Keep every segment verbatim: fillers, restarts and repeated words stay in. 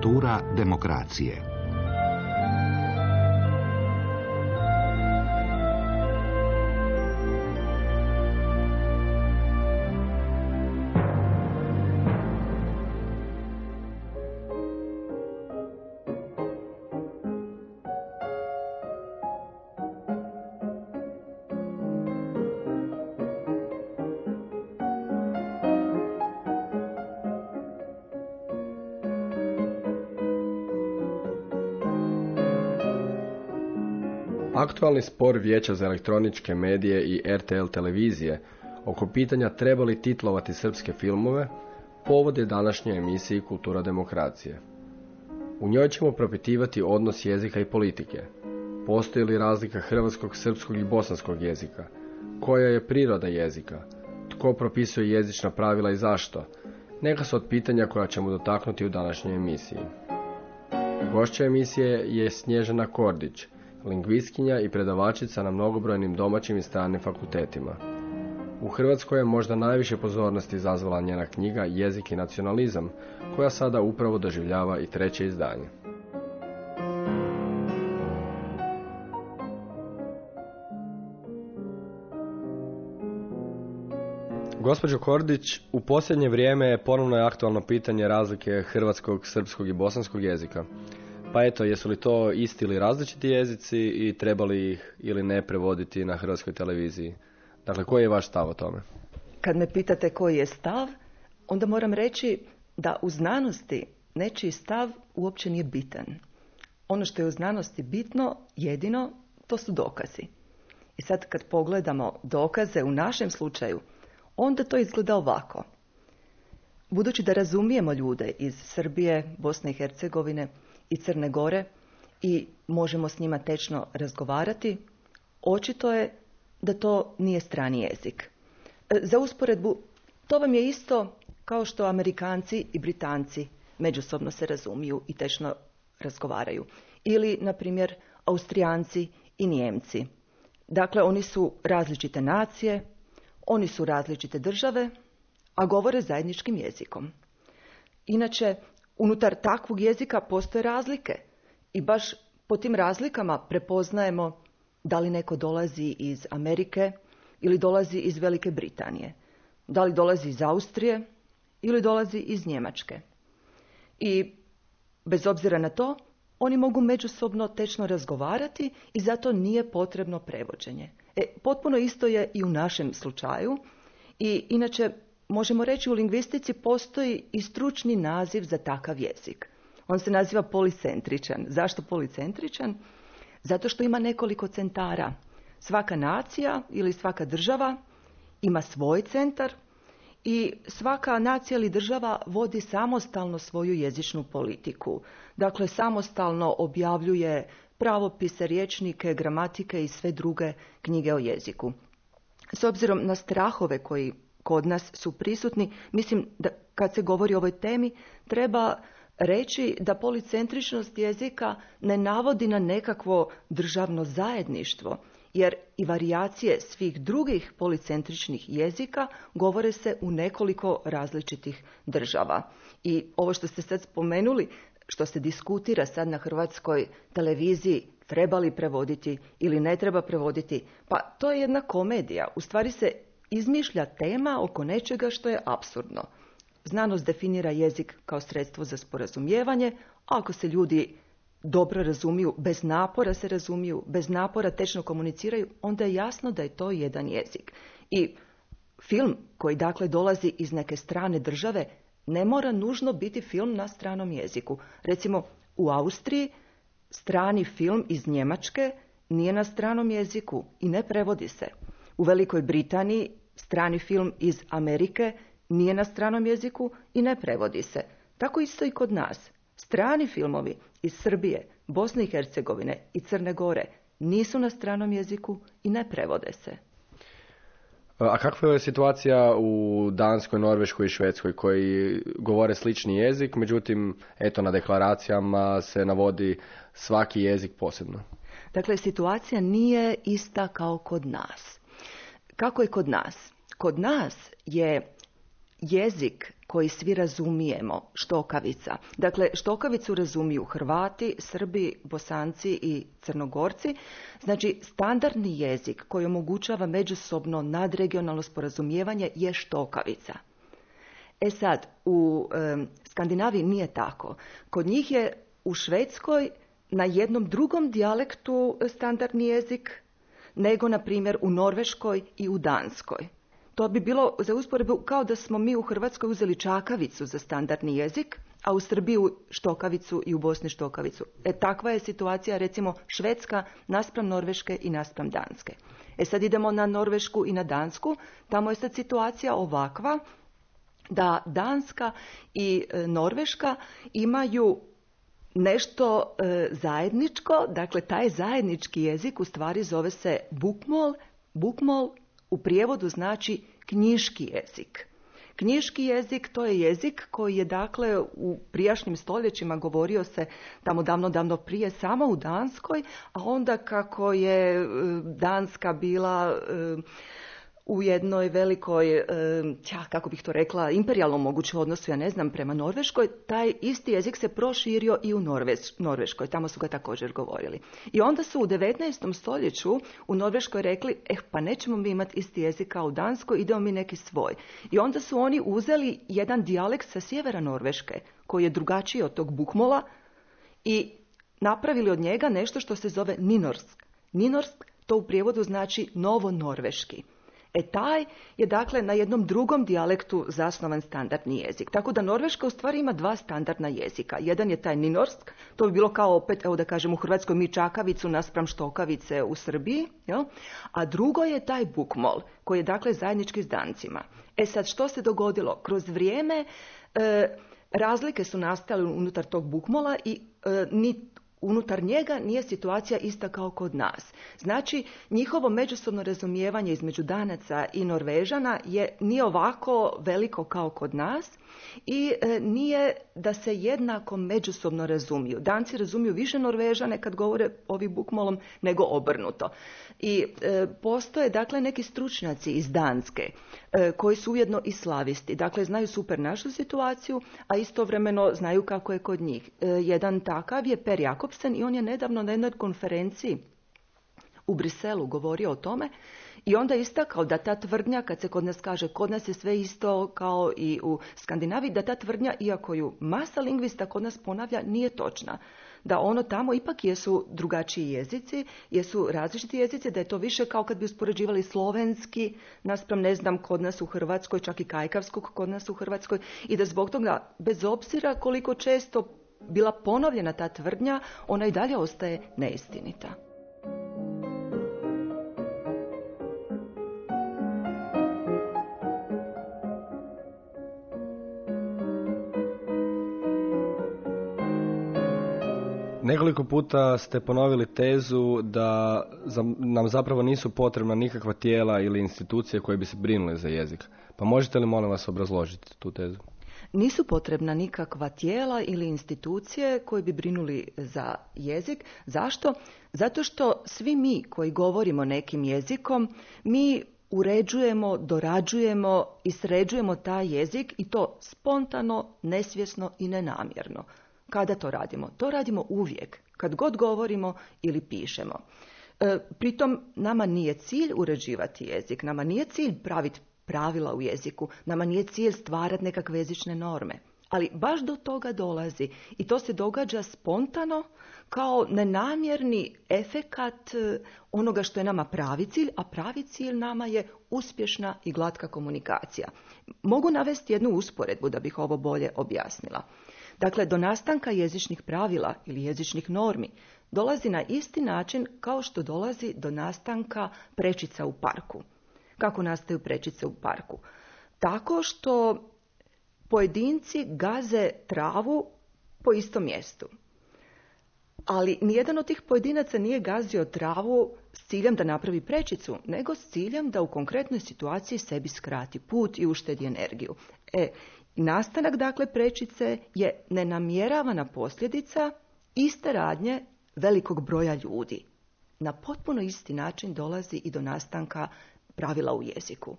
Kultura demokracije. Aktualni spor Vijeća za elektroničke medije i R T L televizije oko pitanja treba li titlovati srpske filmove povod je današnje emisiji Kultura demokracije. U njoj ćemo propitivati odnos jezika i politike. Postoji li razlika hrvatskog, srpskog i bosanskog jezika? Koja je priroda jezika? Tko propisuje jezična pravila i zašto? Neka su od pitanja koja ćemo dotaknuti u današnjoj emisiji. Gošća emisije je Snježana Kordić, lingvistkinja i predavačica na mnogobrojnim domaćim i stranim fakultetima. U Hrvatskoj je možda najviše pozornosti izazvala njena knjiga Jezik i nacionalizam, koja sada upravo doživljava i treće izdanje. Gospođo Kordić, u posljednje vrijeme ponovno je aktualno pitanje razlike hrvatskog, srpskog i bosanskog jezika. Pa eto, jesu li to isti ili različiti jezici i treba li ih ili ne prevoditi na hrvatskoj televiziji? Dakle, koji je vaš stav o tome? Kad me pitate koji je stav, onda moram reći da u znanosti nečiji stav uopće nije bitan. Ono što je u znanosti bitno, jedino, to su dokazi. I sad kad pogledamo dokaze u našem slučaju, onda to izgleda ovako. Budući da razumijemo ljude iz Srbije, Bosne i Hercegovine i Crne Gore i možemo s njima tečno razgovarati, očito je da to nije strani jezik. Za usporedbu, to vam je isto kao što Amerikanci i Britanci međusobno se razumiju i tečno razgovaraju. Ili, na primjer, Austrijanci i Nijemci. Dakle, oni su različite nacije, oni su različite države, a govore zajedničkim jezikom. Inače, unutar takvog jezika postoje razlike i baš po tim razlikama prepoznajemo da li neko dolazi iz Amerike ili dolazi iz Velike Britanije, da li dolazi iz Austrije ili dolazi iz Njemačke. I bez obzira na to, oni mogu međusobno tečno razgovarati i zato nije potrebno prevođenje. E, potpuno isto je i u našem slučaju i inače možemo reći u lingvistici postoji i stručni naziv za takav jezik. On se naziva policentričan. Zašto policentričan? Zato što ima nekoliko centara. Svaka nacija ili svaka država ima svoj centar i svaka nacija ili država vodi samostalno svoju jezičnu politiku. Dakle, samostalno objavljuje pravopise, rječnike, gramatike i sve druge knjige o jeziku. S obzirom na strahove koji kod nas su prisutni, mislim da kad se govori o ovoj temi treba reći da policentričnost jezika ne navodi na nekakvo državno zajedništvo, jer i varijacije svih drugih policentričnih jezika govore se u nekoliko različitih država. I ovo što ste sad spomenuli, što se diskutira sad na hrvatskoj televiziji, treba li prevoditi ili ne treba prevoditi, pa to je jedna komedija. U stvari se izmišlja tema oko nečega što je apsurdno. Znanost definira jezik kao sredstvo za sporazumijevanje, a ako se ljudi dobro razumiju, bez napora se razumiju, bez napora tečno komuniciraju, onda je jasno da je to jedan jezik. I film koji dakle dolazi iz neke strane države ne mora nužno biti film na stranom jeziku. Recimo u Austriji strani film iz Njemačke nije na stranom jeziku i ne prevodi se. U Velikoj Britaniji strani film iz Amerike nije na stranom jeziku i ne prevodi se. Tako isto i kod nas. Strani filmovi iz Srbije, Bosne i Hercegovine i Crne Gore nisu na stranom jeziku i ne prevode se. A kakva je situacija u Danskoj, Norveškoj i Švedskoj koji govore slični jezik, međutim, eto, na deklaracijama se navodi svaki jezik posebno? Dakle, situacija nije ista kao kod nas. Kako je kod nas? Kod nas je jezik koji svi razumijemo, štokavica. Dakle, štokavicu razumiju Hrvati, Srbi, Bosanci i Crnogorci. Znači, standardni jezik koji omogućava međusobno nadregionalno sporazumijevanje je štokavica. E sad, u e, Skandinaviji nije tako. Kod njih je u Švedskoj na jednom drugom dijalektu standardni jezik nego, na primjer, u Norveškoj i u Danskoj. To bi bilo za usporedbu kao da smo mi u Hrvatskoj uzeli čakavicu za standardni jezik, a u Srbiji štokavicu i u Bosni štokavicu. E, takva je situacija, recimo, Švedska naspram Norveške i naspram Danske. E sad idemo na Norvešku i na Dansku. Tamo je sad situacija ovakva da Danska i e, Norveška imaju nešto e, zajedničko, dakle taj zajednički jezik u stvari zove se bukmol. Bukmol u prijevodu znači knjiški jezik. Knjiški jezik to je jezik koji je dakle u prijašnjim stoljećima govorio se tamo davno, davno prije samo u Danskoj, a onda kako je e, Danska bila e, u jednoj velikoj, ja, kako bih to rekla, imperijalnom mogućem odnosu, ja ne znam, prema Norveškoj, taj isti jezik se proširio i u Norveš, Norveškoj, tamo su ga također govorili. I onda su u devetnaestom stoljeću u Norveškoj rekli, eh, pa nećemo mi imati isti jezik kao u Danskoj, idemo mi neki svoj. I onda su oni uzeli jedan dijalekt sa sjevera Norveške, koji je drugačiji od tog bukmola, i napravili od njega nešto što se zove ninorsk. Ninorsk to u prijevodu znači novo-norveški. E taj je dakle na jednom drugom dijalektu zasnovan standardni jezik. Tako da Norveška u stvari ima dva standardna jezika. Jedan je taj ninorsk, to bi bilo kao opet, evo da kažem u Hrvatskoj mi čakavicu naspram štokavice u Srbiji, jel? A drugo je taj bukmol koji je dakle zajednički s Dancima. E sad što se dogodilo? Kroz vrijeme e, razlike su nastale unutar tog bukmola i e, ni unutar njega nije situacija ista kao kod nas. Znači, njihovo međusobno razumijevanje između Danaca i Norvežana je nije ovako veliko kao kod nas i e, nije da se jednako međusobno razumiju. Danci razumiju više Norvežane kad govore ovim bukmolom nego obrnuto. I e, postoje dakle neki stručnjaci iz Danske e, koji su ujedno i slavisti. Dakle, znaju super našu situaciju, a istovremeno znaju kako je kod njih. E, jedan takav je Per Jakobsen i on je nedavno na jednoj konferenciji u Briselu govorio o tome i onda istakao da ta tvrdnja, kad se kod nas kaže kod nas je sve isto kao i u Skandinaviji, da ta tvrdnja, iako ju masa lingvista kod nas ponavlja, nije točna. Da ono tamo ipak jesu drugačiji jezici, jesu različiti jezici, da je to više kao kad bi uspoređivali slovenski naspram, ne znam, kod nas u Hrvatskoj, čak i kajkavskog kod nas u Hrvatskoj, i da zbog toga, bez obzira koliko često bila ponovljena ta tvrdnja, ona i dalje ostaje neistinita. Nekoliko puta ste ponovili tezu da nam zapravo nisu potrebna nikakva tijela ili institucije koje bi se brinule za jezik. Pa možete li, molim vas, obrazložiti tu tezu? Nisu potrebna nikakva tijela ili institucije koje bi brinuli za jezik. Zašto? Zato što svi mi koji govorimo nekim jezikom, mi uređujemo, dorađujemo i sređujemo taj jezik i to spontano, nesvjesno i nenamjerno. Kada to radimo? To radimo uvijek, kad god govorimo ili pišemo. E, pritom nama nije cilj uređivati jezik, nama nije cilj praviti pravila u jeziku, nama nije cilj stvarati nekakve jezične norme. Ali baš do toga dolazi i to se događa spontano kao nenamjerni efekat onoga što je nama pravi cilj, a pravi cilj nama je uspješna i glatka komunikacija. Mogu navesti jednu usporedbu da bih ovo bolje objasnila. Dakle, do nastanka jezičnih pravila ili jezičnih normi dolazi na isti način kao što dolazi do nastanka prečica u parku. Kako nastaju prečice u parku? Tako što pojedinci gaze travu po istom mjestu. Ali nijedan od tih pojedinaca nije gazio travu s ciljem da napravi prečicu, nego s ciljem da u konkretnoj situaciji sebi skrati put i uštedi energiju. E, nastanak dakle prečice je nenamjeravana posljedica iste radnje velikog broja ljudi. Na potpuno isti način dolazi i do nastanka pravila u jeziku.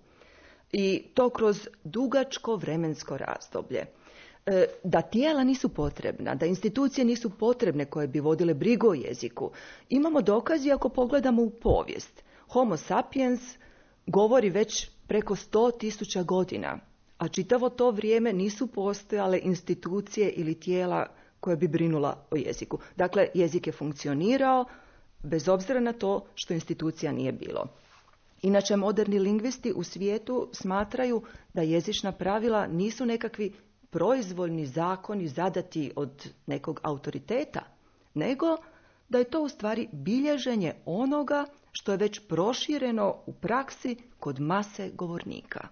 I to kroz dugačko vremensko razdoblje. E, da tijela nisu potrebna, da institucije nisu potrebne koje bi vodile brigu o jeziku. Imamo dokazi ako pogledamo u povijest. Homo sapiens govori već preko sto tisuća godina, a čitavo to vrijeme nisu postojale institucije ili tijela koje bi brinula o jeziku. Dakle, jezik je funkcionirao bez obzira na to što institucija nije bilo. Inače, moderni lingvisti u svijetu smatraju da jezična pravila nisu nekakvi proizvoljni zakoni zadati od nekog autoriteta, nego da je to u stvari bilježenje onoga što je već prošireno u praksi kod mase govornika.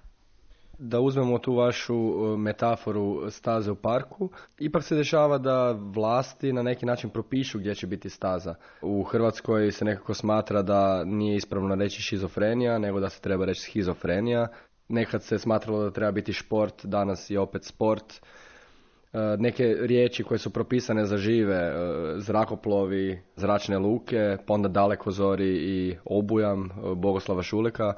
Da uzmemo tu vašu metaforu staze u parku, ipak se dešava da vlasti na neki način propišu gdje će biti staza. U Hrvatskoj se nekako smatra da nije ispravno reći šizofrenija, nego da se treba reći schizofrenija. Nekad se smatralo da treba biti šport, danas je opet sport. Neke riječi koje su propisane za žive, zrakoplovi, zračne luke, pa onda dalekozori i obujam Bogoslava Šuleka.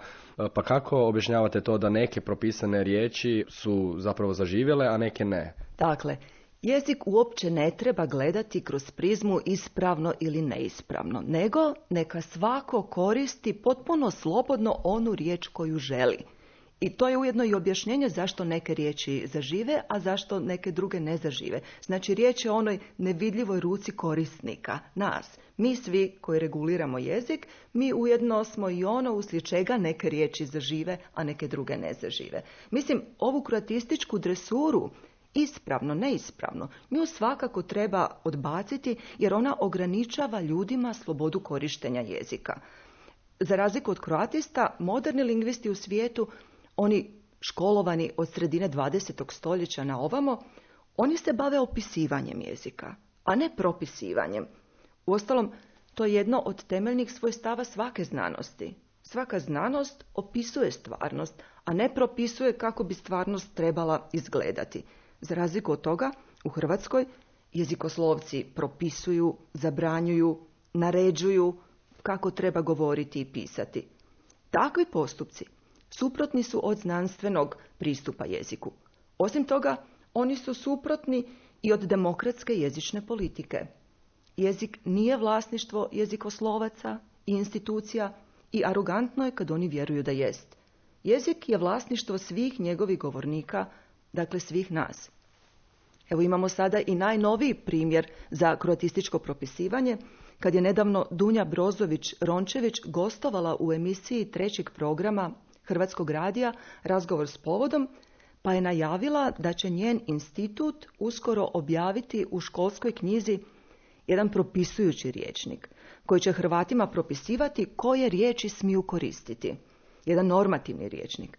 Pa kako objašnjavate to da neke propisane riječi su zapravo zaživjele, a neke ne? Dakle, jezik uopće ne treba gledati kroz prizmu ispravno ili neispravno, nego neka svako koristi potpuno slobodno onu riječ koju želi. I to je ujedno i objašnjenje zašto neke riječi zažive, a zašto neke druge ne zažive. Znači, riječ je o onoj nevidljivoj ruci korisnika, nas. Mi svi koji reguliramo jezik, mi ujedno smo i ono uslijed čega neke riječi zažive, a neke druge ne zažive. Mislim, ovu kroatističku dresuru, ispravno, neispravno, nju svakako treba odbaciti jer ona ograničava ljudima slobodu korištenja jezika. Za razliku od kroatista, moderni lingvisti u svijetu, oni školovani od sredine dvadesetog stoljeća na ovamo, oni se bave opisivanjem jezika, a ne propisivanjem. Uostalom, to je jedno od temeljnih svojstava svake znanosti. Svaka znanost opisuje stvarnost, a ne propisuje kako bi stvarnost trebala izgledati. Za razliku od toga, u Hrvatskoj jezikoslovci propisuju, zabranjuju, naređuju kako treba govoriti i pisati. Takvi postupci suprotni su od znanstvenog pristupa jeziku. Osim toga, oni su suprotni i od demokratske jezične politike. Jezik nije vlasništvo jezikoslovaca i institucija i arogantno je kad oni vjeruju da jest. Jezik je vlasništvo svih njegovih govornika, dakle svih nas. Evo imamo sada i najnoviji primjer za kroatističko propisivanje, kad je nedavno Dunja Brozović-Rončević gostovala u emisiji trećeg programa Hrvatskog radija Razgovor s povodom, pa je najavila da će njen institut uskoro objaviti u školskoj knjizi jedan propisujući rječnik, koji će Hrvatima propisivati koje riječi smiju koristiti. Jedan normativni rječnik.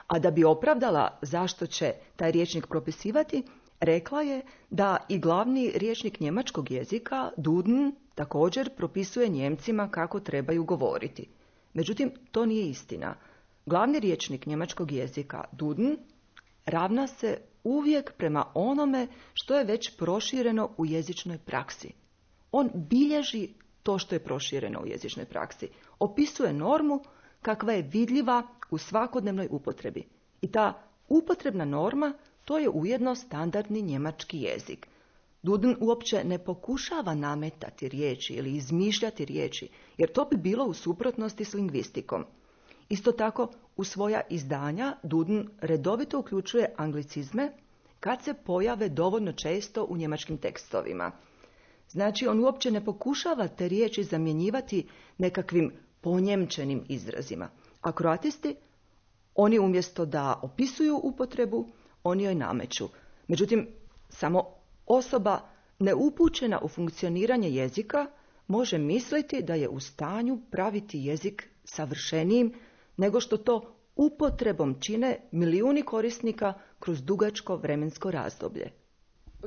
A da bi opravdala zašto će taj rječnik propisivati, rekla je da i glavni rječnik njemačkog jezika, Duden, također propisuje Njemcima kako trebaju govoriti. Međutim, to nije istina. Glavni rječnik njemačkog jezika, Duden, ravna se uvijek prema onome što je već prošireno u jezičnoj praksi. On bilježi to što je prošireno u jezičnoj praksi. Opisuje normu kakva je vidljiva u svakodnevnoj upotrebi. I ta upotrebna norma, to je ujedno standardni njemački jezik. Duden uopće ne pokušava nametati riječi ili izmišljati riječi, jer to bi bilo u suprotnosti s lingvistikom. Isto tako, u svoja izdanja Duden redovito uključuje anglicizme kad se pojave dovoljno često u njemačkim tekstovima. Znači, on uopće ne pokušava te riječi zamjenjivati nekakvim ponjemčenim izrazima. A kroatisti, oni umjesto da opisuju upotrebu, oni joj nameću. Međutim, samo osoba neupućena u funkcioniranje jezika može misliti da je u stanju praviti jezik savršenijim nego što to upotrebom čine milijuni korisnika kroz dugačko vremensko razdoblje.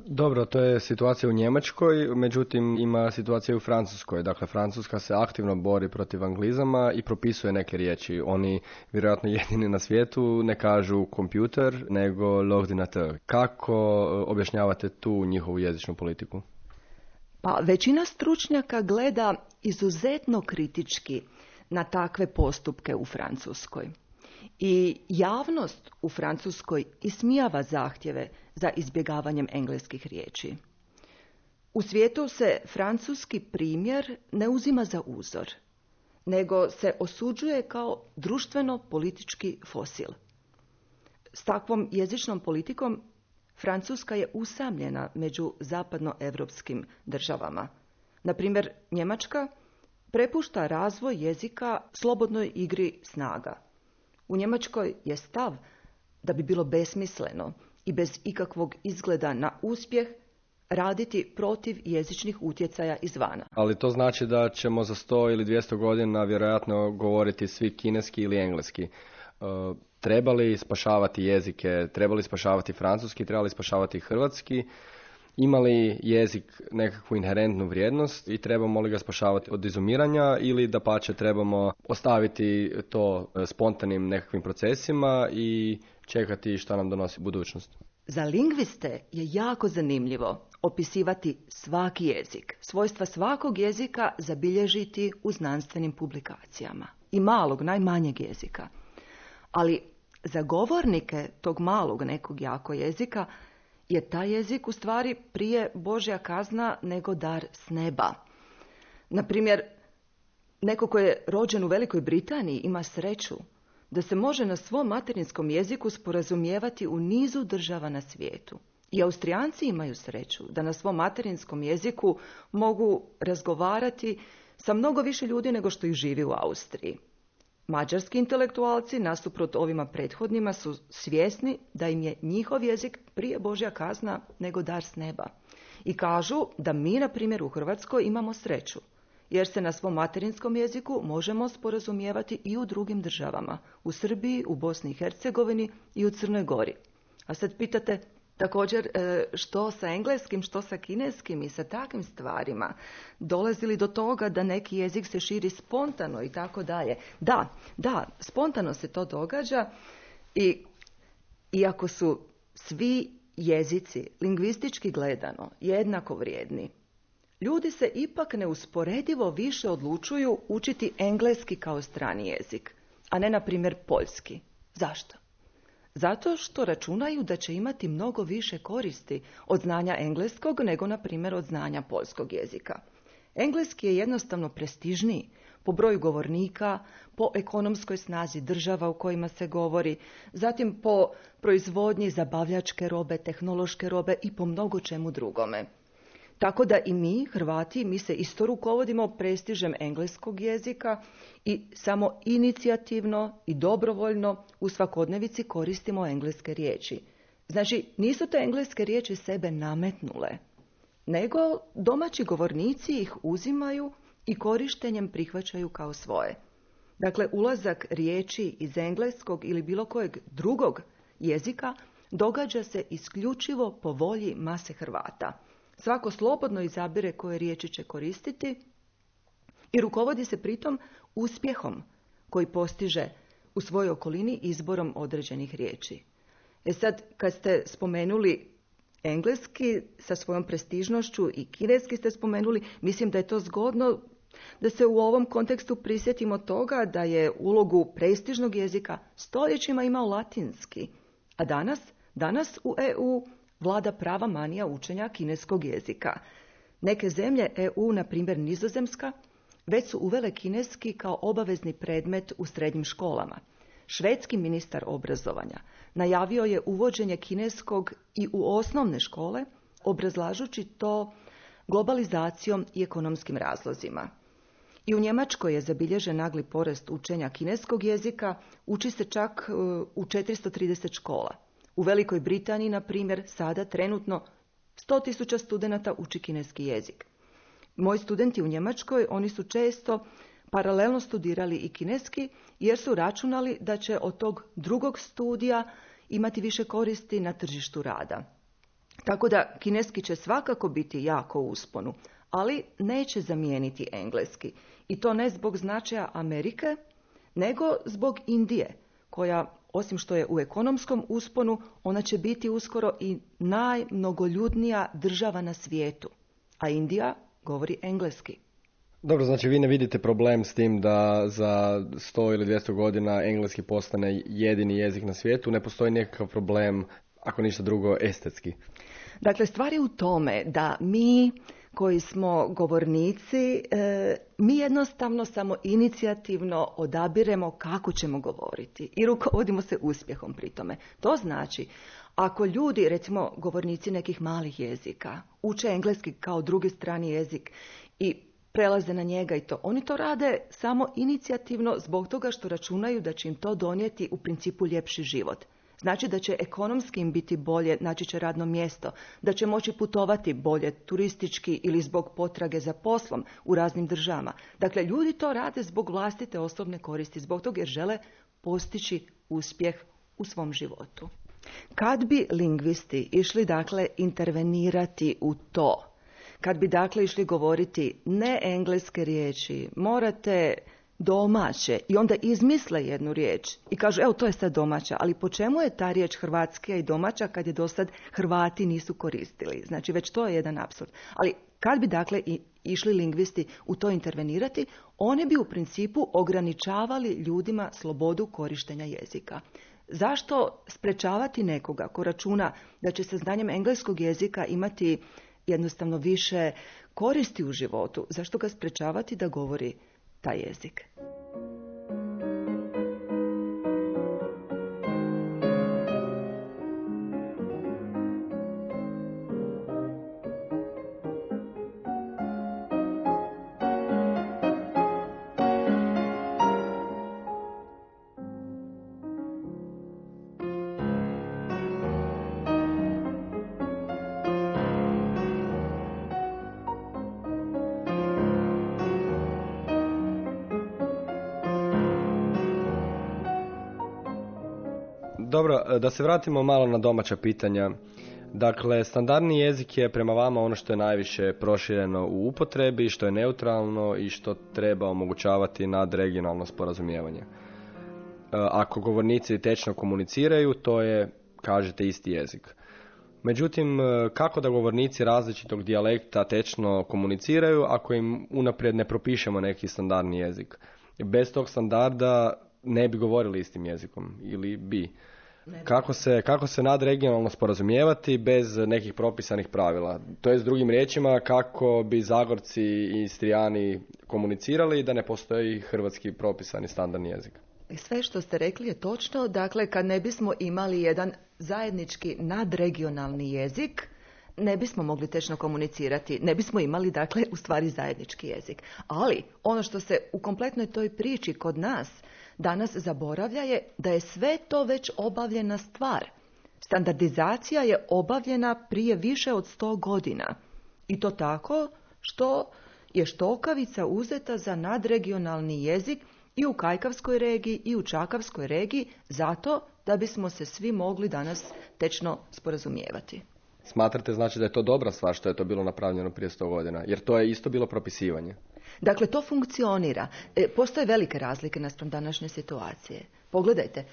Dobro, to je situacija u Njemačkoj, međutim ima situacija u Francuskoj. Dakle, Francuska se aktivno bori protiv anglizama i propisuje neke riječi. Oni, vjerojatno jedini na svijetu, ne kažu kompjuter, nego l'ordinateur. Kako objašnjavate tu njihovu jezičnu politiku? Pa većina stručnjaka gleda izuzetno kritički na takve postupke u Francuskoj. I javnost u Francuskoj ismijava zahtjeve za izbjegavanjem engleskih riječi. U svijetu se francuski primjer ne uzima za uzor, nego se osuđuje kao društveno-politički fosil. S takvom jezičnom politikom Francuska je usamljena među zapadnoevropskim državama. Na primjer, Njemačka prepušta razvoj jezika slobodnoj igri snaga. U Njemačkoj je stav da bi bilo besmisleno i bez ikakvog izgleda na uspjeh raditi protiv jezičnih utjecaja izvana. Ali to znači da ćemo za sto ili dvjesto godina vjerojatno govoriti svi kineski ili engleski. Uh, trebali spašavati jezike, trebali spašavati francuski, trebali spašavati hrvatski, imali jezik nekakvu inherentnu vrijednost i trebamo li ga spašavati od izumiranja ili dapače trebamo ostaviti to spontanim nekakvim procesima i čekati šta nam donosi budućnost. Za lingviste je jako zanimljivo opisivati svaki jezik, svojstva svakog jezika zabilježiti u znanstvenim publikacijama. I malog, najmanjeg jezika. Ali za govornike tog malog nekog jako jezika je taj jezik u stvari prije Božja kazna nego dar s neba. Naprimjer, neko ko je rođen u Velikoj Britaniji ima sreću da se može na svom materinskom jeziku sporazumijevati u nizu država na svijetu. I Austrijanci imaju sreću da na svom materinskom jeziku mogu razgovarati sa mnogo više ljudi nego što ih živi u Austriji. Mađarski intelektualci, nasuprot ovima prethodnima, su svjesni da im je njihov jezik prije Božja kazna nego dar s neba. I kažu da mi, na primjer, u Hrvatskoj imamo sreću, jer se na svom materinskom jeziku možemo sporazumijevati i u drugim državama, u Srbiji, u Bosni i Hercegovini i u Crnoj Gori. A sad pitate također što sa engleskim, što sa kineskim i sa takvim stvarima. Dolazi li do toga da neki jezik se širi spontano i tako dalje? Da, da, spontano se to događa i iako su svi jezici, lingvistički gledano, jednako vrijedni, ljudi se ipak neusporedivo više odlučuju učiti engleski kao strani jezik, a ne, na primjer, poljski. Zašto? Zato što računaju da će imati mnogo više koristi od znanja engleskog nego, na primjer, od znanja poljskog jezika. Engleski je jednostavno prestižniji po broju govornika, po ekonomskoj snazi država u kojima se govori, zatim po proizvodnji zabavljačke robe, tehnološke robe i po mnogo čemu drugome. Tako da i mi, Hrvati, mi se isto rukovodimo prestižem engleskog jezika i samo inicijativno i dobrovoljno u svakodnevici koristimo engleske riječi. Znači, nisu te engleske riječi sebe nametnule, nego domaći govornici ih uzimaju i korištenjem prihvaćaju kao svoje. Dakle, ulazak riječi iz engleskog ili bilo kojeg drugog jezika događa se isključivo po volji mase Hrvata. Svako slobodno izabire koje riječi će koristiti i rukovodi se pritom uspjehom koji postiže u svojoj okolini izborom određenih riječi. E sad, kad ste spomenuli engleski sa svojom prestižnošću i kineski ste spomenuli, mislim da je to zgodno da se u ovom kontekstu prisjetimo toga da je ulogu prestižnog jezika stoljećima imao latinski, a danas, danas u E U vlada prava manija učenja kineskog jezika. Neke zemlje E U, na primjer Nizozemska, već su uvele kineski kao obavezni predmet u srednjim školama. Švedski ministar obrazovanja najavio je uvođenje kineskog i u osnovne škole, obrazlažući to globalizacijom i ekonomskim razlozima. I u Njemačkoj je zabilježen nagli porast učenja kineskog jezika, uči se čak u četiristo trideset škola. U Velikoj Britaniji, na primjer, sada trenutno sto tisuća studenata uči kineski jezik. Moji studenti u Njemačkoj, oni su često paralelno studirali i kineski, jer su računali da će od tog drugog studija imati više koristi na tržištu rada. Tako da kineski će svakako biti jako u usponu, ali neće zamijeniti engleski. I to ne zbog značaja Amerike, nego zbog Indije, koja, osim što je u ekonomskom usponu, ona će biti uskoro i najmnogoljudnija država na svijetu. A Indija govori engleski. Dobro, znači vi ne vidite problem s tim da za sto ili dvjesto godina engleski postane jedini jezik na svijetu, ne postoji nekakav problem, ako ništa drugo, estetski. Dakle, stvar je u tome da mi koji smo govornici, e, mi jednostavno samo inicijativno odabiremo kako ćemo govoriti i rukovodimo se uspjehom pri tome. To znači, ako ljudi, recimo govornici nekih malih jezika, uče engleski kao drugi strani jezik i prelaze na njega i to, oni to rade samo inicijativno zbog toga što računaju da će im to donijeti u principu ljepši život. Znači da će ekonomski im biti bolje, naći će radno mjesto, da će moći putovati bolje turistički ili zbog potrage za poslom u raznim državama. Dakle, ljudi to rade zbog vlastite osobne koristi, zbog toga jer žele postići uspjeh u svom životu. Kad bi lingvisti išli, dakle, intervenirati u to, kad bi, dakle, išli govoriti ne engleske riječi, morate domaće i onda izmisle jednu riječ i kažu evo to je sad domaća, ali po čemu je ta riječ hrvatska i domaća kad je dosad Hrvati nisu koristili? Znači već to je jedan apsurd. Ali kad bi dakle i išli lingvisti u to intervenirati, oni bi u principu ograničavali ljudima slobodu korištenja jezika. Zašto sprečavati nekoga ko računa da će sa znanjem engleskog jezika imati jednostavno više koristi u životu? Zašto ga sprečavati da govori taj jezik? Dobro, da se vratimo malo na domaća pitanja. Dakle, standardni jezik je prema vama ono što je najviše prošireno u upotrebi, što je neutralno i što treba omogućavati nadregionalno sporazumijevanje. Ako govornici tečno komuniciraju, to je, kažete, isti jezik. Međutim, kako da govornici različitog dijalekta tečno komuniciraju ako im unaprijed ne propišemo neki standardni jezik? Bez tog standarda ne bi govorili istim jezikom ili bi. Kako se, kako se nadregionalno sporazumijevati bez nekih propisanih pravila? To je s drugim riječima kako bi Zagorci i Istrijani komunicirali da ne postoji hrvatski propisani standardni jezik. Sve što ste rekli je točno. Dakle, kad ne bismo imali jedan zajednički nadregionalni jezik, ne bismo mogli tečno komunicirati, ne bismo imali, dakle, u stvari zajednički jezik. Ali ono što se u kompletnoj toj priči kod nas danas zaboravlja je da je sve to već obavljena stvar. Standardizacija je obavljena prije više od sto godina. I to tako što je štokavica uzeta za nadregionalni jezik i u Kajkavskoj regiji i u Čakavskoj regiji zato da bismo se svi mogli danas tečno sporazumijevati. Smatrate znači da je to dobra stvar što je to bilo napravljeno prije sto godina? Jer to je isto bilo propisivanje. Dakle, to funkcionira. E, postoje velike razlike naspram današnje situacije. Pogledajte,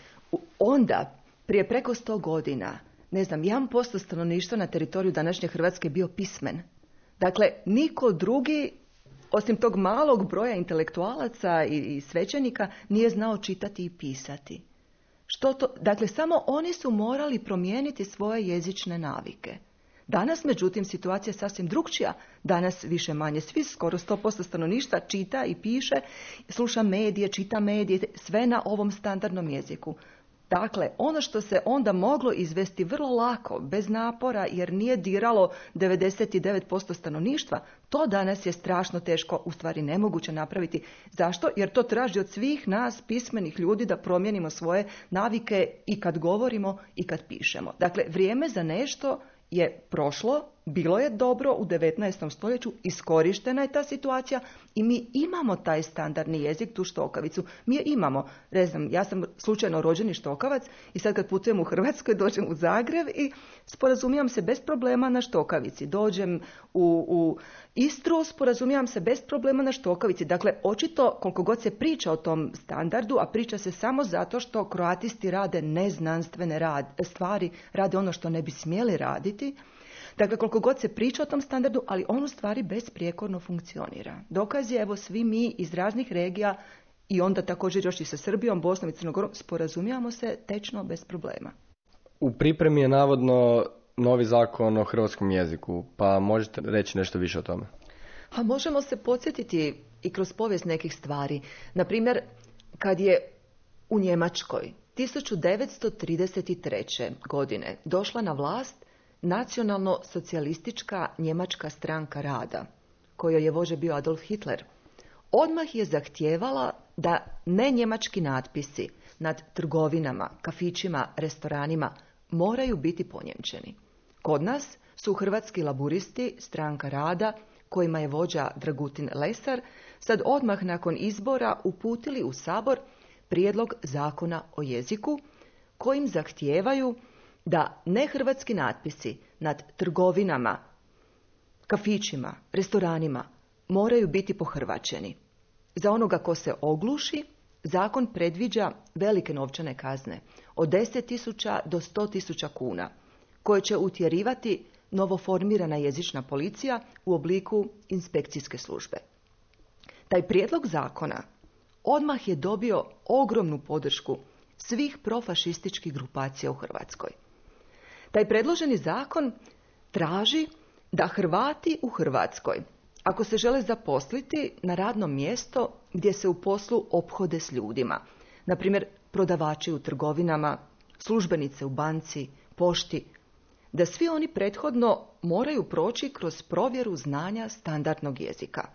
onda, prije preko sto godina, ne znam, jedan posto stanovništva na teritoriju današnje Hrvatske bio pismen. Dakle, niko drugi, osim tog malog broja intelektualaca i, i svećenika, nije znao čitati i pisati. Što to? Dakle, samo oni su morali promijeniti svoje jezične navike. Danas, međutim, situacija je sasvim drukčija. Danas više manje svi, skoro sto posto stanovništva čita i piše, sluša medije, čita medije, sve na ovom standardnom jeziku. Dakle, ono što se onda moglo izvesti vrlo lako, bez napora, jer nije diralo devedeset devet posto stanovništva, to danas je strašno teško, u stvari nemoguće napraviti. Zašto? Jer to traži od svih nas, pismenih ljudi, da promijenimo svoje navike i kad govorimo i kad pišemo. Dakle, vrijeme za nešto je prošlo, bilo je dobro u devetnaestom stoljeću, iskorištena je ta situacija i mi imamo taj standardni jezik, tu štokavicu. Mi je imamo. Ne znam, ja sam slučajno rođeni štokavac i sad kad putujem u Hrvatskoj, dođem u Zagreb i sporazumijem se bez problema na štokavici. Dođem u, u Istru, sporazumijem se bez problema na štokavici. Dakle, očito koliko god se priča o tom standardu, a priča se samo zato što kroatisti rade neznanstvene rad, stvari, rade ono što ne bi smjeli raditi, Dakle, koliko god se priča o tom standardu, ali on u stvari besprijekorno funkcionira. Dokaz je, evo, svi mi iz raznih regija i onda također još i sa Srbijom, Bosnom i Crnom Gorom sporazumijamo se tečno bez problema. U pripremi je navodno novi zakon o hrvatskom jeziku, pa možete reći nešto više o tome? A možemo se podsjetiti i kroz povijest nekih stvari. Na primjer, kad je u Njemačkoj tisuću devetsto trideset treće. godine došla na vlast nacionalno-socijalistička Njemačka stranka rada, kojoj je vođa bio Adolf Hitler, odmah je zahtijevala da ne njemački natpisi nad trgovinama, kafićima, restoranima moraju biti ponjemčeni. Kod nas su hrvatski laburisti, stranka rada, kojima je vođa Dragutin Lesar, sad odmah nakon izbora uputili u Sabor prijedlog zakona o jeziku, kojim zahtijevaju da nehrvatski natpisi nad trgovinama, kafićima, restoranima moraju biti pohrvaćeni. Za onoga ko se ogluši, zakon predviđa velike novčane kazne od deset tisuća do sto tisuća kuna, koje će utjerivati novoformirana jezična policija u obliku inspekcijske službe. Taj prijedlog zakona odmah je dobio ogromnu podršku svih profašističkih grupacija u Hrvatskoj. Taj predloženi zakon traži da Hrvati u Hrvatskoj, ako se žele zaposliti na radno mjesto gdje se u poslu ophode s ljudima, na primjer prodavači u trgovinama, službenice u banci, pošti, da svi oni prethodno moraju proći kroz provjeru znanja standardnog jezika.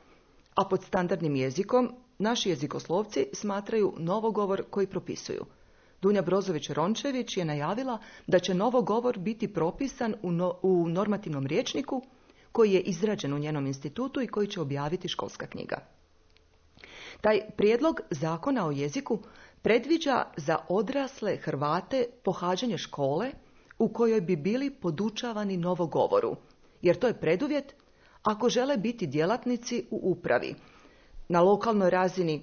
A pod standardnim jezikom naši jezikoslovci smatraju novogovor koji propisuju. Dunja Brozović-Rončević je najavila da će novogovor biti propisan u, no, u normativnom rječniku koji je izrađen u njenom institutu i koji će objaviti školska knjiga. Taj prijedlog zakona o jeziku predviđa za odrasle Hrvate pohađanje škole u kojoj bi bili podučavani novogovoru, jer to je preduvjet ako žele biti djelatnici u upravi, na lokalnoj razini,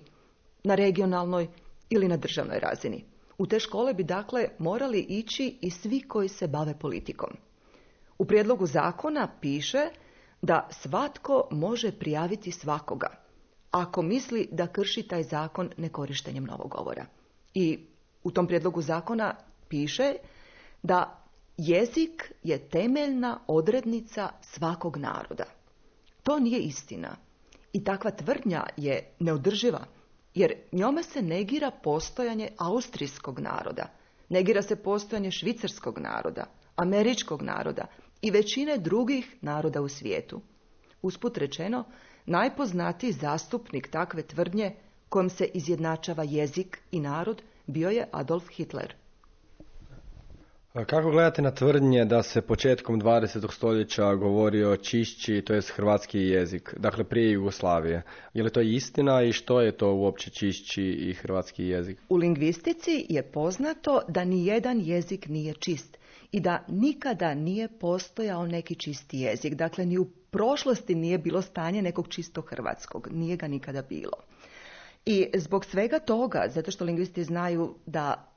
na regionalnoj ili na državnoj razini. U te škole bi dakle morali ići i svi koji se bave politikom. U prijedlogu zakona piše da svatko može prijaviti svakoga, ako misli da krši taj zakon nekorištenjem novogovora. I u tom prijedlogu zakona piše da jezik je temeljna odrednica svakog naroda. To nije istina. I takva tvrdnja je neodrživa, jer njome se negira postojanje austrijskog naroda, negira se postojanje švicarskog naroda, američkog naroda i većine drugih naroda u svijetu. Usput rečeno, najpoznatiji zastupnik takve tvrdnje kojom se izjednačava jezik i narod bio je Adolf Hitler. Kako gledate na tvrdnje da se početkom dvadesetog stoljeća govori o čišći, to jest hrvatski jezik, dakle prije Jugoslavije? Je li to istina i što je to uopće čišći i hrvatski jezik? U lingvistici je poznato da ni jedan jezik nije čist i da nikada nije postojao neki čisti jezik. Dakle, ni u prošlosti nije bilo stanje nekog čistog hrvatskog. Nije ga nikada bilo. I zbog svega toga, zato što lingvisti znaju da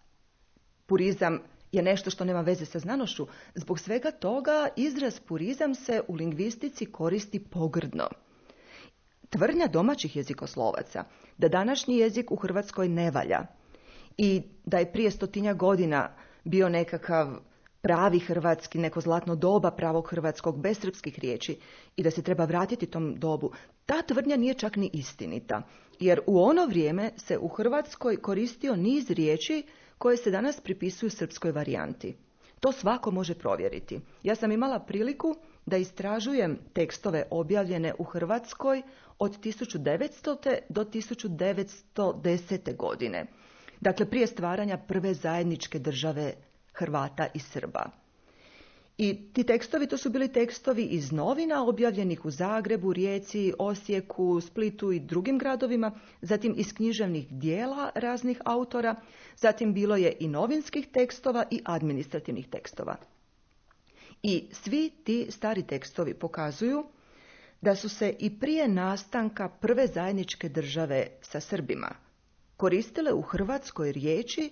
purizam je nešto što nema veze sa znanošću, zbog svega toga izraz purizam se u lingvistici koristi pogrdno. Tvrdnja domaćih jezikoslovaca da današnji jezik u Hrvatskoj ne valja i da je prije stotinja godina bio nekakav pravi hrvatski, neko zlatno doba pravog hrvatskog bez srpskih riječi i da se treba vratiti tom dobu, ta tvrdnja nije čak ni istinita, jer u ono vrijeme se u Hrvatskoj koristio niz riječi koje se danas pripisuju srpskoj varijanti. To svako može provjeriti. Ja sam imala priliku da istražujem tekstove objavljene u Hrvatskoj od tisuću devetstote do tisuću devetsto desete. godine. Dakle, prije stvaranja prve zajedničke države Hrvata i Srba. I ti tekstovi, to su bili tekstovi iz novina objavljenih u Zagrebu, Rijeci, Osijeku, Splitu i drugim gradovima, zatim iz književnih dijela raznih autora, zatim bilo je i novinskih tekstova i administrativnih tekstova. I svi ti stari tekstovi pokazuju da su se i prije nastanka prve zajedničke države sa Srbima koristile u Hrvatskoj riječi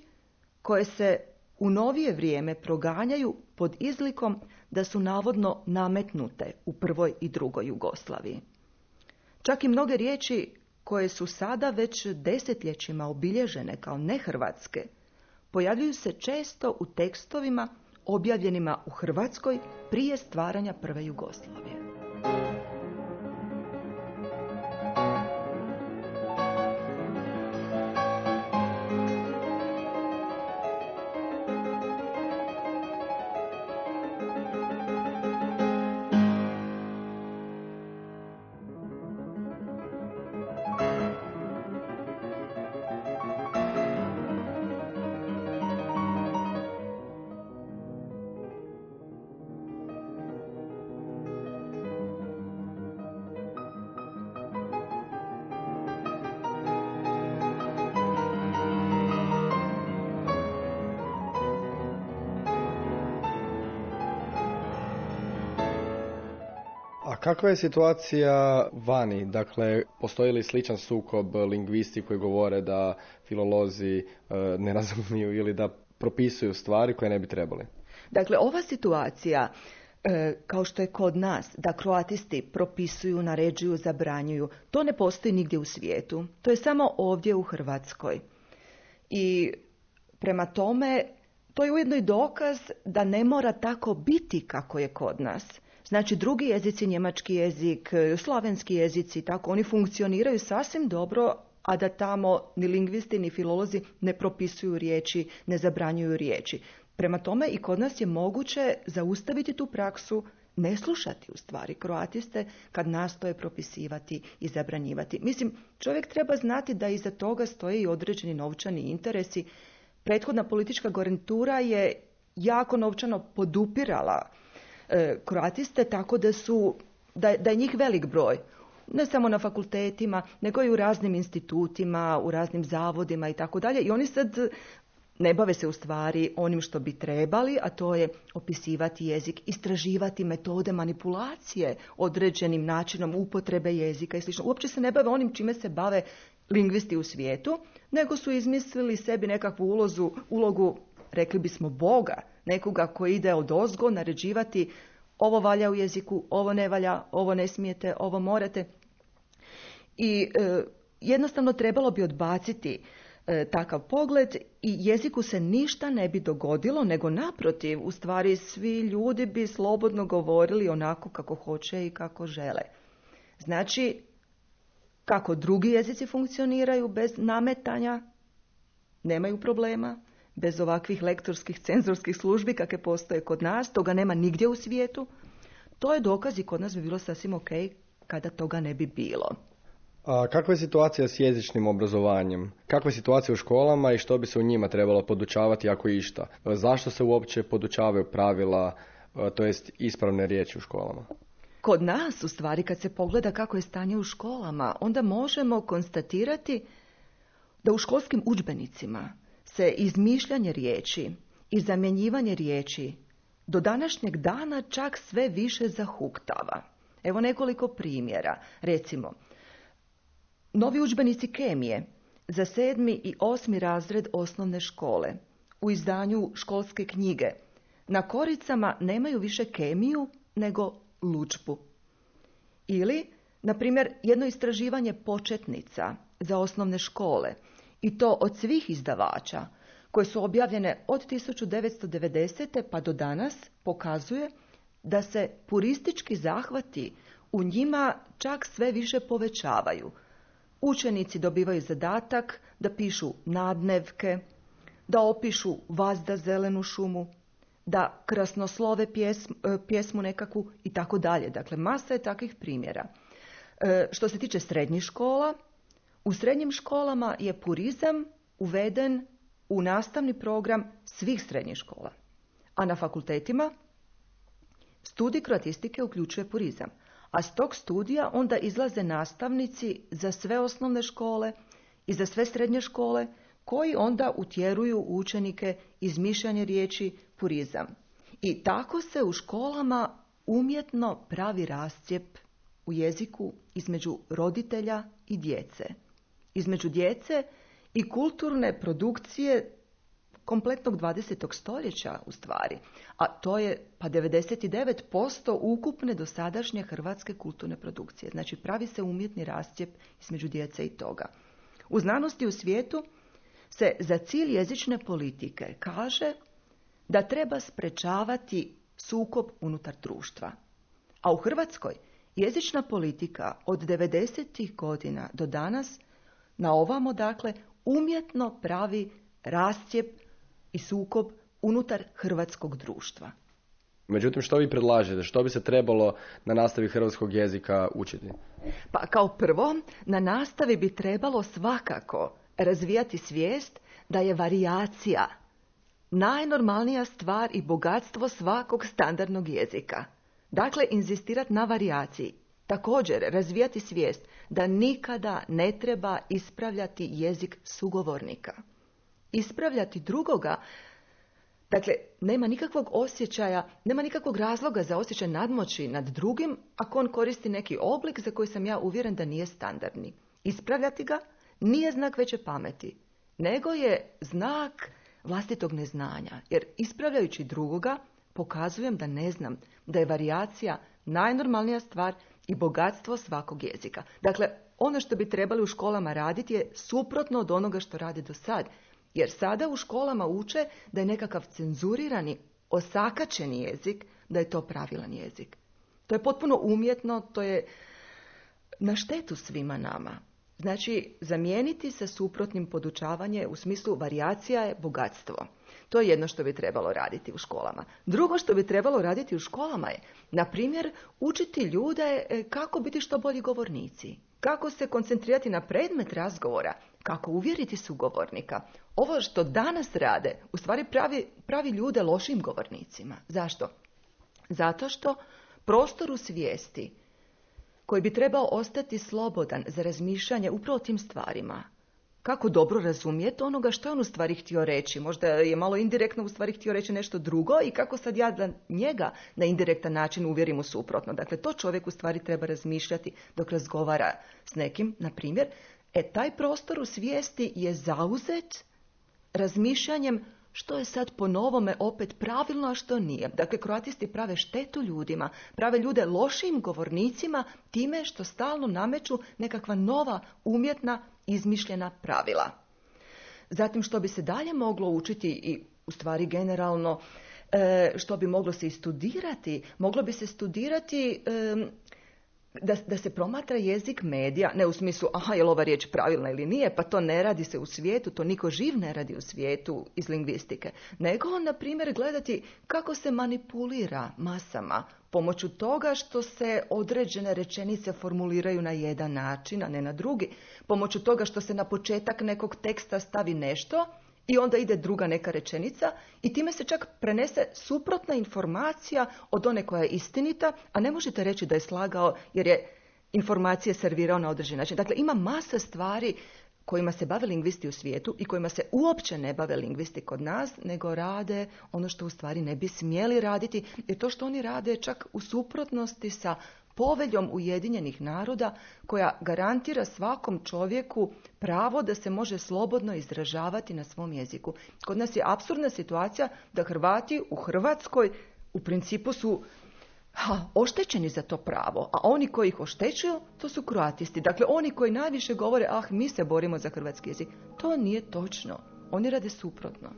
koje se u novije vrijeme proganjaju pod izlikom da su navodno nametnute u prvoj i drugoj Jugoslaviji. Čak i mnoge riječi koje su sada već desetljećima obilježene kao nehrvatske, pojavljuju se često u tekstovima objavljenima u Hrvatskoj prije stvaranja prve Jugoslavije. A kakva je situacija vani? Dakle, postoji li sličan sukob lingvisti koji govore da filolozi e, ne razumiju ili da propisuju stvari koje ne bi trebali? Dakle, ova situacija, e, kao što je kod nas, da kroatisti propisuju, naređuju, zabranjuju, to ne postoji nigdje u svijetu. To je samo ovdje u Hrvatskoj. I prema tome, to je ujedno i dokaz da ne mora tako biti kako je kod nas. Znači, drugi jezici, njemački jezik, slavenski jezici, tako, oni funkcioniraju sasvim dobro, a da tamo ni lingvisti, ni filolozi ne propisuju riječi, ne zabranjuju riječi. Prema tome, i kod nas je moguće zaustaviti tu praksu, ne slušati u stvari kroatiste kad nastoje propisivati i zabranjivati. Mislim, čovjek treba znati da iza toga stoje i određeni novčani interesi. Prethodna politička garnitura je jako novčano podupirala e, kroatiste, tako da su, da, da je njih velik broj. Ne samo na fakultetima, nego i u raznim institutima, u raznim zavodima i tako dalje. I oni sad ne bave se u stvari onim što bi trebali, a to je opisivati jezik, istraživati metode manipulacije određenim načinom upotrebe jezika i sl. Uopće se ne bave onim čime se bave lingvisti u svijetu, nego su izmislili sebi nekakvu ulozu, ulogu, rekli bismo, Boga, nekoga koji ide odozgo naređivati ovo valja u jeziku, ovo ne valja, ovo ne smijete, ovo morate. I e, jednostavno trebalo bi odbaciti e, takav pogled i jeziku se ništa ne bi dogodilo, nego naprotiv, u stvari svi ljudi bi slobodno govorili onako kako hoće i kako žele. Znači, kako drugi jezici funkcioniraju bez nametanja, nemaju problema, bez ovakvih lektorskih, cenzorskih službi kakve postoje kod nas, toga nema nigdje u svijetu. To je dokaz i kod nas bi bilo sasvim ok kada toga ne bi bilo. A kakva je situacija s jezičnim obrazovanjem? Kakva je situacija u školama i što bi se u njima trebalo podučavati ako išta? Zašto se uopće podučavaju pravila, to jest ispravne riječi u školama? Kod nas, u stvari, kad se pogleda kako je stanje u školama, onda možemo konstatirati da u školskim udžbenicima se izmišljanje riječi i zamjenjivanje riječi do današnjeg dana čak sve više zahuktava. Evo nekoliko primjera. Recimo, novi udžbenici kemije za sedmi i osmi razred osnovne škole u izdanju školske knjige na koricama nemaju više kemiju nego ludžbu. Ili, na primjer, jedno istraživanje početnica za osnovne škole, i to od svih izdavača, koje su objavljene od tisuću devetsto devedesete pa do danas, pokazuje da se puristički zahvati u njima čak sve više povećavaju. Učenici dobivaju zadatak da pišu nadnevke, da opišu vazda zelenu šumu, da krasnoslove pjesmu, pjesmu nekakvu i tako dalje. Dakle, masa je takvih primjera. E, što se tiče srednjih škola, u srednjim školama je purizam uveden u nastavni program svih srednjih škola. A na fakultetima studij kroatistike uključuje purizam. A s tog studija onda izlaze nastavnici za sve osnovne škole i za sve srednje škole, koji onda utjeruju učenike izmišljanje riječi purizam. I tako se u školama umjetno pravi rascjep u jeziku između roditelja i djece. Između djece i kulturne produkcije kompletnog dvadesetog stoljeća u stvari, a to je pa devedeset devet posto ukupne dosadašnje hrvatske kulturne produkcije. Znači pravi se umjetni rascjep između djece i toga. U znanosti u svijetu se za cilj jezične politike kaže da treba sprečavati sukob unutar društva. A u Hrvatskoj jezična politika od devedesetih godina do danas na ovamo, dakle, umjetno pravi rascjep i sukob unutar hrvatskog društva. Međutim, što vi predlažete? Što bi se trebalo na nastavi hrvatskog jezika učiti? Pa kao prvo, na nastavi bi trebalo svakako razvijati svijest da je varijacija najnormalnija stvar i bogatstvo svakog standardnog jezika. Dakle, inzistirati na varijaciji. Također, razvijati svijest da nikada ne treba ispravljati jezik sugovornika. Ispravljati drugoga, dakle, nema nikakvog osjećaja, nema nikakvog razloga za osjećaj nadmoći nad drugim ako on koristi neki oblik za koji sam ja uvjeren da nije standardni. Ispravljati ga nije znak veće pameti, nego je znak vlastitog neznanja. Jer ispravljajući drugoga pokazujem da ne znam, da je varijacija najnormalnija stvar i bogatstvo svakog jezika. Dakle, ono što bi trebali u školama raditi je suprotno od onoga što rade do sad. Jer sada u školama uče da je nekakav cenzurirani, osakaćeni jezik, da je to pravilan jezik. To je potpuno umjetno, to je na štetu svima nama. Znači, zamijeniti sa suprotnim podučavanje u smislu varijacija je bogatstvo. To je jedno što bi trebalo raditi u školama. Drugo što bi trebalo raditi u školama je, na primjer, učiti ljude kako biti što bolji govornici. Kako se koncentrirati na predmet razgovora, kako uvjeriti sugovornika. Ovo što danas rade, u stvari pravi, pravi ljude lošim govornicima. Zašto? Zato što prostor u svijesti koji bi trebao ostati slobodan za razmišljanje upravo o tim stvarima. Kako dobro razumijeti onoga što je on u stvari htio reći. Možda je malo indirektno u stvari htio reći nešto drugo i kako sad ja da njega na indirektan način uvjerim u suprotno. Dakle, to čovjek u stvari treba razmišljati dok razgovara s nekim, na primjer. E, taj prostor u svijesti je zauzet razmišljanjem što je sad po novome opet pravilno, a što nije. Dakle, kroatisti prave štetu ljudima, prave ljude lošim govornicima time što stalno nameću nekakva nova umjetna izmišljena pravila. Zatim, što bi se dalje moglo učiti i u stvari generalno, što bi moglo se i studirati, moglo bi se studirati da, da se promatra jezik medija, ne u smislu, aha, je li ova riječ pravilna ili nije, pa to ne radi se u svijetu, to niko živ ne radi u svijetu iz lingvistike, nego, na primjer, gledati kako se manipulira masama pomoću toga što se određene rečenice formuliraju na jedan način, a ne na drugi, pomoću toga što se na početak nekog teksta stavi nešto i onda ide druga neka rečenica i time se čak prenese suprotna informacija od one koja je istinita, a ne možete reći da je slagao jer je informacije servirao na određen način. Dakle, ima masa stvari kojima se bave lingvisti u svijetu i kojima se uopće ne bave lingvisti kod nas, nego rade ono što u stvari ne bi smjeli raditi, jer to što oni rade čak u suprotnosti sa poveljom Ujedinjenih naroda koja garantira svakom čovjeku pravo da se može slobodno izražavati na svom jeziku. Kod nas je apsurdna situacija da Hrvati u Hrvatskoj u principu su ha, oštećeni za to pravo, a oni koji ih oštećuju, to su kroatisti. Dakle, oni koji najviše govore, ah, mi se borimo za hrvatski jezik. To nije točno. Oni rade suprotno.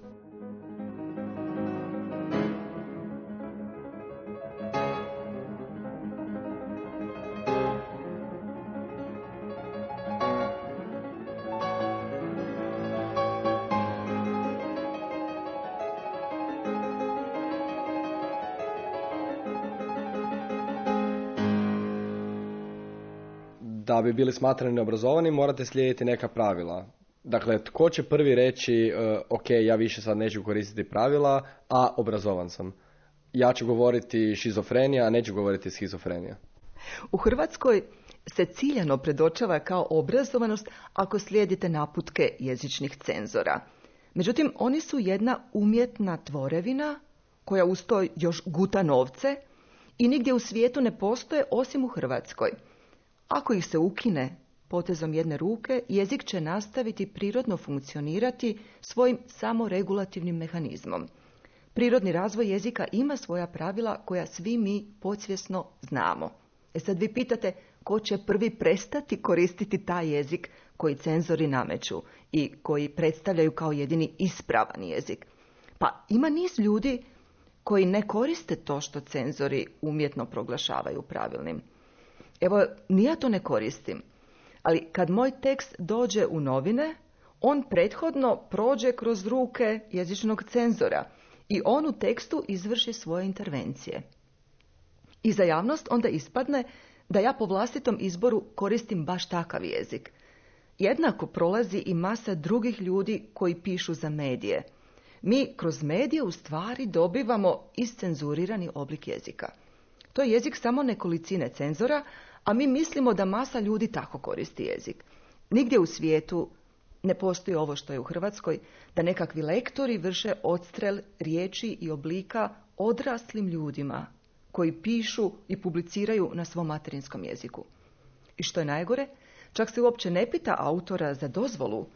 Da bi bili smatrani neobrazovani, morate slijediti neka pravila. Dakle, tko će prvi reći, uh, ok, ja više sad neću koristiti pravila, a obrazovan sam. Ja ću govoriti šizofrenija, a neću govoriti schizofrenija. U Hrvatskoj se ciljano predočava kao obrazovanost ako slijedite naputke jezičnih cenzora. Međutim, oni su jedna umjetna tvorevina koja uz to još guta novce i nigdje u svijetu ne postoje osim u Hrvatskoj. Ako ih se ukine, potezom jedne ruke, jezik će nastaviti prirodno funkcionirati svojim samoregulativnim mehanizmom. Prirodni razvoj jezika ima svoja pravila koja svi mi podsvjesno znamo. E sad vi pitate ko će prvi prestati koristiti taj jezik koji cenzori nameću i koji predstavljaju kao jedini ispravan jezik. Pa ima niz ljudi koji ne koriste to što cenzori umjetno proglašavaju pravilnim. Evo, ni ja to ne koristim, ali kad moj tekst dođe u novine, on prethodno prođe kroz ruke jezičnog cenzora i on u tekstu izvrši svoje intervencije. I za javnost onda ispadne da ja po vlastitom izboru koristim baš takav jezik. Jednako prolazi i masa drugih ljudi koji pišu za medije. Mi kroz medije u stvari dobivamo iscenzurirani oblik jezika. To je jezik samo nekolicine cenzora, a mi mislimo da masa ljudi tako koristi jezik. Nigdje u svijetu ne postoji ovo što je u Hrvatskoj, da nekakvi lektori vrše odstrel riječi i oblika odraslim ljudima koji pišu i publiciraju na svom materinskom jeziku. I što je najgore, čak se uopće ne pita autora za dozvolu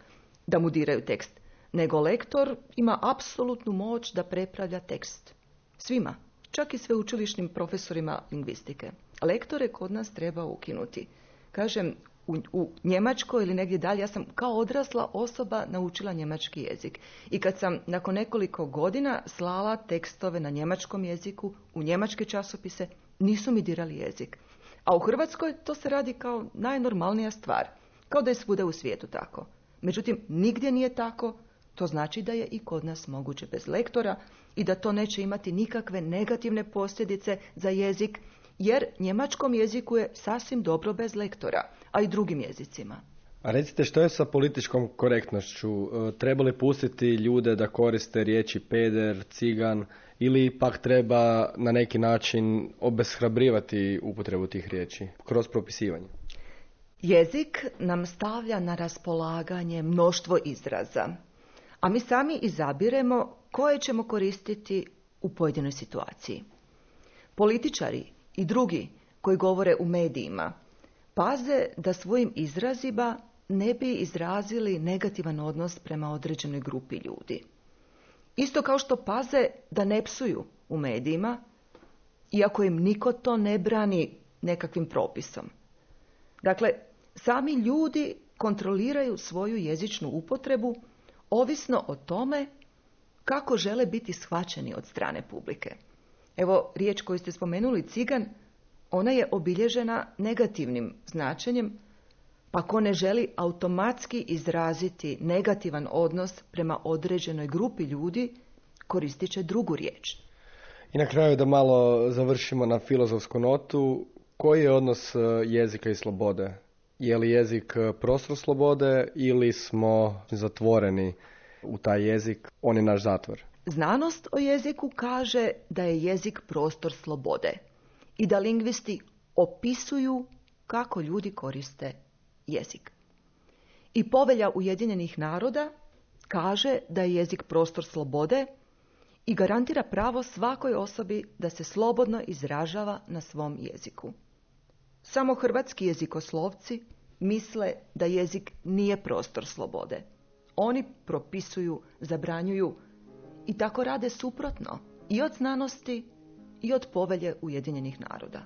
da mu diraju tekst, nego lektor ima apsolutnu moć da prepravlja tekst. Svima, čak i sveučilišnim profesorima lingvistike. Lektore kod nas treba ukinuti. Kažem, u, u Njemačkoj ili negdje dalje, ja sam kao odrasla osoba naučila njemački jezik. I kad sam nakon nekoliko godina slala tekstove na njemačkom jeziku, u njemačke časopise, nisu mi dirali jezik. A u Hrvatskoj to se radi kao najnormalnija stvar. Kao da je svuda u svijetu tako. Međutim, nigdje nije tako. To znači da je i kod nas moguće bez lektora i da to neće imati nikakve negativne posljedice za jezik, jer njemačkom jeziku je sasvim dobro bez lektora, a i drugim jezicima. A recite, što je sa političkom korektnošću? Treba li pustiti ljude da koriste riječi peder, cigan, ili pak treba na neki način obeshrabrivati upotrebu tih riječi kroz propisivanje? Jezik nam stavlja na raspolaganje mnoštvo izraza, a mi sami izabiremo koje ćemo koristiti u pojedinoj situaciji. Političari i drugi koji govore u medijima paze da svojim izrazima ne bi izrazili negativan odnos prema određenoj grupi ljudi. Isto kao što paze da ne psuju u medijima, iako im niko to ne brani nekakvim propisom. Dakle, sami ljudi kontroliraju svoju jezičnu upotrebu ovisno o tome kako žele biti shvaćeni od strane publike. Evo, riječ koju ste spomenuli, cigan, ona je obilježena negativnim značenjem, pa ko ne želi automatski izraziti negativan odnos prema određenoj grupi ljudi, koristit će drugu riječ. I na kraju da malo završimo na filozofsku notu, koji je odnos jezika i slobode? Je li jezik prostor slobode ili smo zatvoreni u taj jezik, on je naš zatvor? Znanost o jeziku kaže da je jezik prostor slobode i da lingvisti opisuju kako ljudi koriste jezik. I Povelja Ujedinjenih naroda kaže da je jezik prostor slobode i garantira pravo svakoj osobi da se slobodno izražava na svom jeziku. Samo hrvatski jezikoslovci misle da jezik nije prostor slobode. Oni propisuju, zabranjuju i tako rade suprotno i od znanosti i od Povelje Ujedinjenih naroda.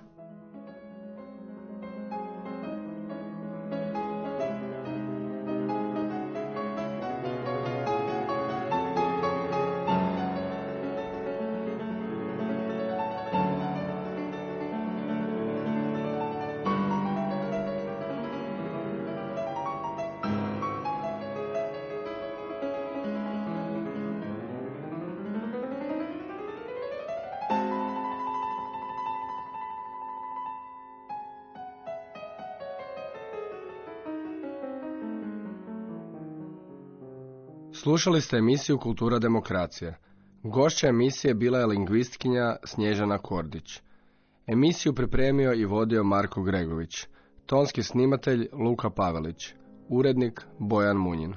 Slušali ste emisiju Kultura demokracije. Gošća emisije bila je lingvistkinja Snježana Kordić. Emisiju pripremio i vodio Marko Gregović. Tonski snimatelj Luka Pavelić. Urednik Bojan Munjin.